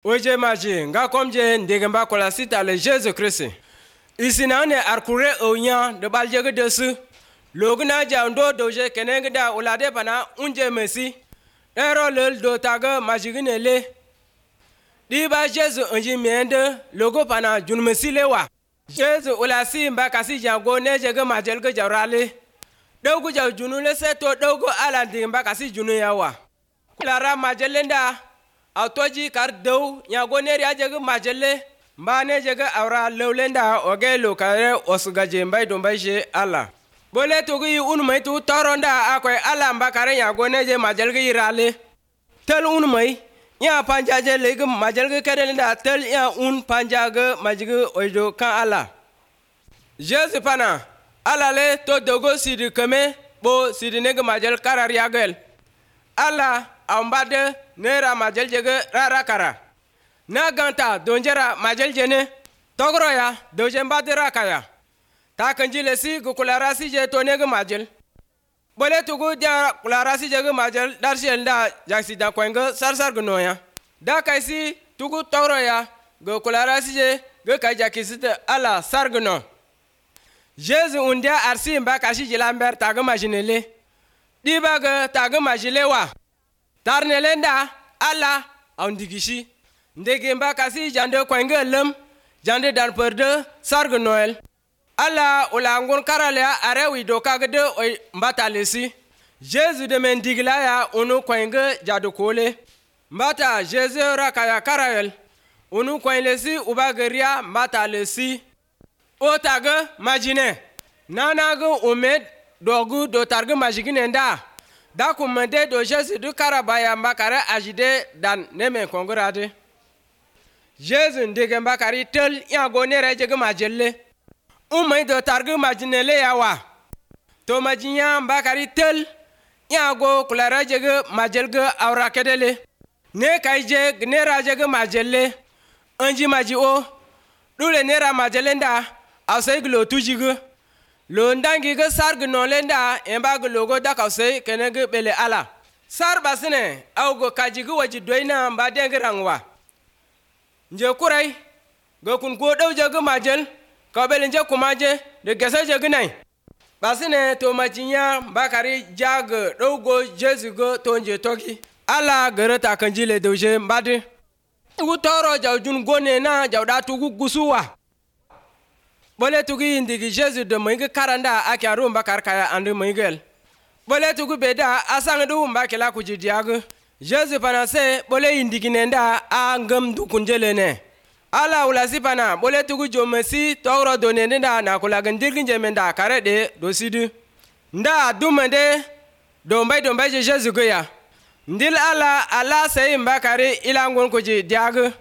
Oje maji nga komje ndegemba kola sita le Jésus Christ. Isina ne arkure onya de balje ge desu. Logna jando doje kenenge da ulade bana unje mesi. Ero lel do taga majigine le. Di ba Jésus onji mende logo pana jun mesi lewa. Jésus ulasi mba kasi jango ne jege majel ge jarale. Dogu jaw junu le seto dogo ala ndimba kasi junu yawa. Lara majelenda autoji kar dew nyago ne ya jege majelle mbane jege awra lewlenda oge lokare osugaje mbay do mbayje ala. Bole togi unmay tu toronda akoy ala mbakare nyago ne je majel ge irale. Tel unmay ya panjaje lege majel ge kedelenda tel ya un panjage majige ojo kan ala. Jésus pana ala le to dogo sidi keme bo sidi nege majel karar yagel. Ala ambade nera majel jege rara kara. Na ganta donjera majel jene togroya doje mbadira kaya. Ta kanjile si gukulara si je to nege majel. Bole tugu dia kulara si jege majel darshel da jaksi da kwenge sarsar gnoya. Da kaisi tugu togroya gukulara si je ge kajakisite ala sargno. Jésus undia arsi mba kashi jilamber taga majinele. Dibaga taga majile wa. Tarnelenda ala aundigishi. Ndege mba kasi jande kwenge lem. Jande dan perde sarg Noël. Ala ulangun karalea arewi dokagde oy mbata lesi. Jésus de mendigla ya unu kwenge jadu kole. Mbata Jésus rakaya karayel. Unu kwenlesi ubageria mbata lesi. O taga majine. Nanaga umed dogu do targa majigine nda. Da kumende do Jésus du karabaya mbakare ajide dan neme kongorade. Jésus ndege mbakari tel ya gonere jege majelle. Umay do targa majinele yawa. To majinya mbakari tel ya go kulara jege majelge awra kedele. Ne kaije gnera jege majelle. Anji maji o. Dule nera majelenda. Asay glo tujigu. Lo ndangi ge sarg nolenda emba logo da kausay kenege bele ala. Sar basine augo kajigu waji doina mba dengi rangwa. Nje kurai go kun go daw jege majel ka bele nje kumaje de gesa jege nai. Basine to majinya bakari jag dogo Jésus go to nje toki. Ala gereta kanjile doje mbade. Ugu toro jawjun gone na jawda tugu gusuwa. Bole tugu indigi Jésus de moinge karanda aki arumba karkaya andu moingel. Bole tugu beda asang du umba kela kujidiagu. Jésus panase bole indigi nenda a ngam du kunjelene. Ala ulasi pana bole tugu jomesi togro donenda na kulagandirgin jemenda karede dosidu. Nda dumende dombay je Jésus goya. Ndil ala say mbakari ilangun kujidiagu.